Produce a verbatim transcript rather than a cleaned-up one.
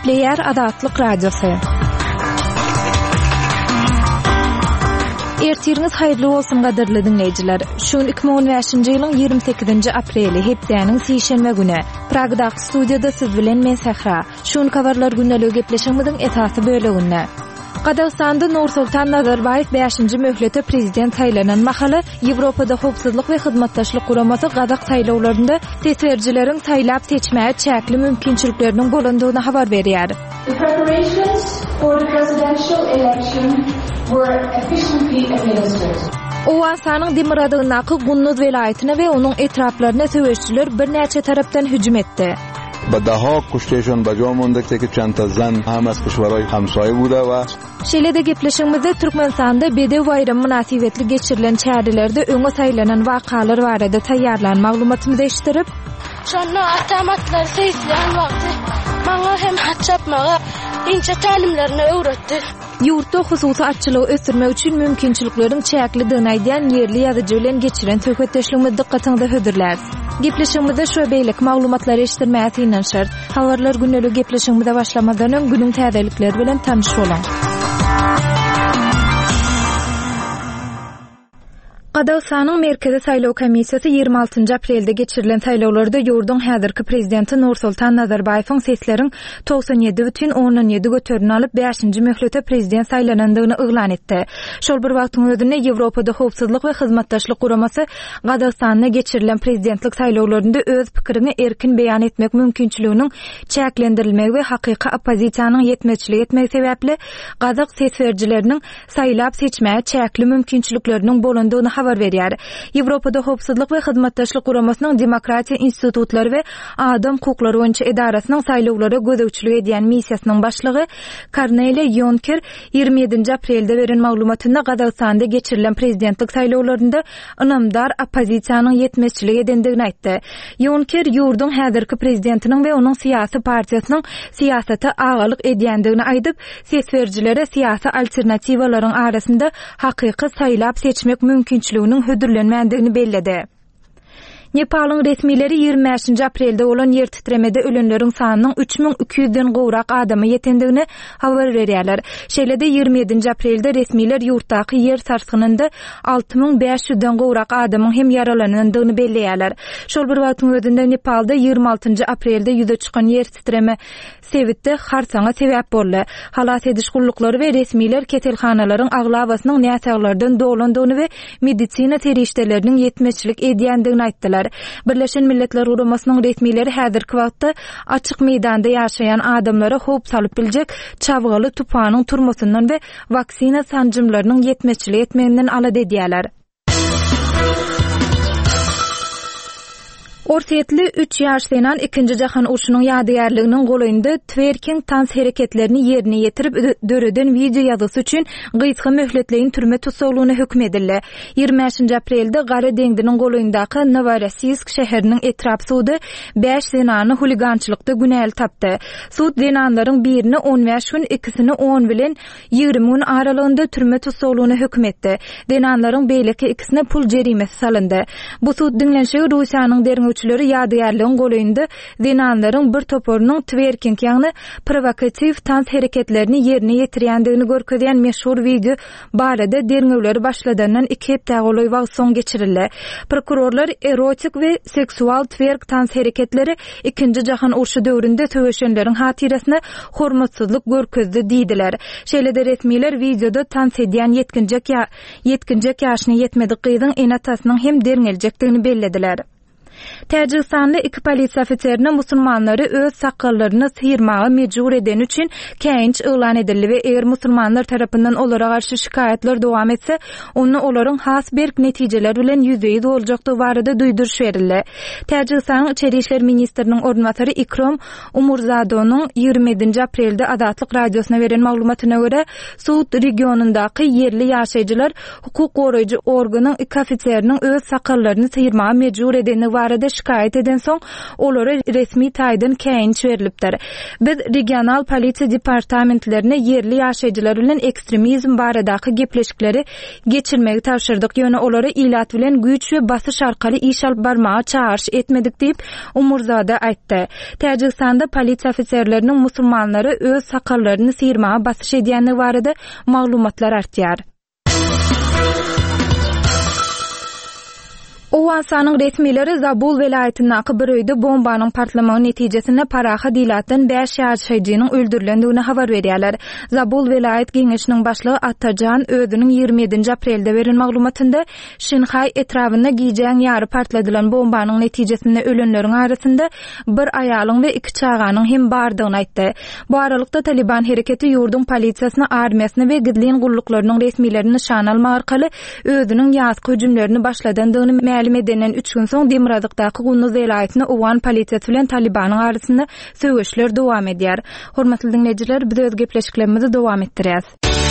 Gepleýär Azatlyk Radiosy. Ertiriňiz haýyrly bolsun gadyrly diňleýjiler. Şu gün iki müň on bäşinji ýylyň ýigrimi sekizinji apreli, hepdäniň sişenbe güni. Pragdaky studiýada siz bilen men Sähra. Şu gün habarlar gündeligi gepleşigimiziň esasy böleginde. Gazagystanda Nursultan Nazarbaýew bäşinji möhlete prezident saýlanan mahaly Ýewropada Howpsuzlyk we Hyzmatdaşlyk Guramasy gazak saýlawlarynda ses berijileriň saýlap seçmäge çäkli mümkinçilikleriniň bolandygyny habar berýär. The preparations for the presidential election were efficiently administered. Owganystanyň demirgazygyndaky Gunduz welaýatyna we onuň etraplaryna söweşijiler birnäçe tarapdan hüjüm etdi. Ba daha kuşteşon ba jo monda ki çend ta zan hem az kişweray hemsaye bude we Şeýle-de gepleşigimizde Türkmenistanda Bedew baýramy mynasybetli geçirilen çärelerde öňe saýlanan wakalar barada taýýarlan maglumatymyzy eşitdirip, Şonda atam atlary seýisleýän wagty maňa hem at çapmagy inçe tälimlerini öwretdi. Ýurtda hususy atçylygy ösdürmek üçin mümkinçilikleriň çäklidigini aýdýan ýerli ýazyjy bilen geçiren söhbetdeşligimizi dykgatyňyza hödürläris. Gepleşigimizde şu beýleki maglumatlary eşitdirmäge synanyşarys. Habarlar gündelik gepleşigimize başlamazdan öň günüň täzelikleri bilen tanyş boluň. Gazagystanyň Merkezi saýlaw komissiýasy ýigrimi altynjy aprelde geçirilen saýlawlarda ýurduň häzirki prezidenti Nursultan Nazarbaýewiň sesleriň togsan ýedi bütin ondan ýedi göterimini alyp bäşinji möhlete prezident saýlanandygyny yglan etdi. Şol bir wagtyň özünde Ýewropada Howpsuzlyk we Hyzmatdaşlyk Guramasy Gazagystanda geçirilen prezidentlik saýlawlarynda öz pikiriňi erkin beýan etmek mümkinçiliginiň çäklendirilmegi we hakyky oppozisiýanyň ýetmezçilik etmegi sebäpli gazak ses berijileriniň saýlap seçmäge çäkli mümkinçilikleriniň bolandygyny habar berýär. Ýewropada Howpsuzlyk we Hyzmatdaşlyk Guramasynyň Demokratiýa institutlary we adam hukuklary boýunça edarasynyň saýlawlara gözegçilik edýän missiýasynyň başlygy Korneliýa Ýonker ýigrimi ýedinji aprelde beren maglumatynda Gazagystanda geçirilen prezidentlik saýlawlarynda ynamdar oppozisiýanyň ýetmezçilik edendigini aýtdy. Ýonker ýurduň häzirki prezidentiniň we onuň syýasy partiýasynyň syýasata agalyk edýändigini aýdyp, ses berijilere syýasy alternatiwalaryň arasynda hakyky saýlap seçmek mümkinçiliginiň hödürlenmändigini belledi. Nepalyň resmileri ýigrimi bäşinji aprelde bolan ýer titremede ölenleriň sanynyň üç müň iki ýüzden gowrak adama ýetendigini habar berýärler. Şeýle-de ýigrimi ýedinji aprelde resmiler ýurtdaky ýer sarsgynynda alty müň bäş ýüzden gowrak adamyň hem ýaralanandygyny belleýärler. Şol bir wagtyň özünde Nepalda ýigrimi altynjy aprelde ýüze çykan ýer titreme sebitde harsaňa sebäp boldy. Halas ediş gulluklary we resmiler keselhanalaryň aglabasynyň näsaglardan dolandygyny we medisina serişdeleriniň ýetmezçilik edýändigini aýtdylar. Birleşen Milletler Guramasynyň resmileri häzirki wagtda açyk meýdanda ýaşaýan adamlara howp salyp biljek çabgaly tupanyň turmasyndan we waksina sanjymlarynyň ýetmezçilik etmeginden alada edýärler. Orsýetli üç ýaş zenan ikinji jahan urşunyň ýadygärliginiň golaýynda twerking tans hereketlerini ýerine ýetirip döreden wideo ýazgysy üçin gysga möhletleýin türme tussaglygyna höküm edildi. Ýigrimi bäşinji aprelde Gara deňziniň golaýyndaky Noworossiysk şäheriniň etrap sudy bäş zenany huligançylykda günäli tapdy. Sud zenanlaryň birini on bäş gün, ikisini on bilen ýigrimi gün aralygynda türme tussaglygyna höküm etdi. Zenanlaryň beýleki ikisine pul jerimesi salyndy. Bu sud diňlenişigi Russiýanyň derňewçileri ýadygärligiň golaýynda zenanlaryň bir toparynyň twerking, ýagny provokatiw tans hereketlerini ýerine ýetirýändigini görkezýän meşhur wideo barada derňewleri başladandan iki hepde golaý wagt soň geçirildi. Prokurorlar erotik we seksual twerk tans hereketleri ikinji jahan urşy döwründe söweşenleriň hatyrasyna hormatsyzlyk görkezdi diýdiler. Şeýle-de resmiler wideoda tans edýän ýetginjek ýa-, ýetginjek ýaşyna ýetmedik gyzyň ene-atasynyň hem derňeljekdigini bellediler. Täjigistanly iki polisiýa ofiserine musulmanlary öz sakgallaryny syrmaga mejbur edeni üçin käýinç yglan edildi we eger musulmanlar tarapyndan olara garşy şikaýatlar dowam etse, onda olaryň has berk netijeler bilen ýüzbe-ýüz boljakdygy barada duýduryş berildi. Täjigistanyň Içeri işler ministriniň orunbasary Ikrom Umurzadonyň ýigrimi ýedinji aprelde Azatlyk radiosyna beren maglumatyna görä, Sud regionyndaky ýerli ýaşaýjylar hukuk goraýjy organyň iki ofiseriniň öz sakallaryny syrmaga mejbur edeni barada şikaýat edensoň, olara resmi taýdan käýinç berlipdir. Biz regional polisiýa departamentlerine ýerli ýaşaýjylar bilen ekstremizm baradaky gepleşikleri geçirmegi tabşyrdyk, ýöne olara ilat bilen güýç we basyş arkaly iş alyp barmaga çagyryş etmedik diýip, Umurzada aýtdy. Täjigistanda polisiýa ofiserleriniň musulmanlara öz sakallaryny syrmaga basyş edýändigi barada maglumatlar artýar. Owganystanyň resmileri Zabul welaýatyndaky bir öýde bombanyň partlamagy netijesinde parahat ilatdan bäş ýaşaýjynyň öldürilendigini habar berýärler. Zabul welaýat geňeşiniň başlygy Atajan özüniň ýigrimi ýedinji aprelde beren maglumatynda Şinhaý etrabynda gijäň ýary partladylan bombanyň netijesinde ölenleriň arasynda bir aýalyň we iki çaganyň hem bardygyny aýtdy. Bu aralykda Taliban hereketi ýurduň polisiýasyny, armiýasyny we gizlin gulluklarynyň resmilerini nyşana almak arkaly özüniň ýazky hüjümlerini başladandygyny mälim edenden üç gün soň demirgazykdaky Gunduz welaýatynda owgan polisiýasy bilen Talibanyň arasynda söweşler dowam edýär. Hormatly diňleýjiler, biz öz gepleşiklerimizi dowam etdirýäs.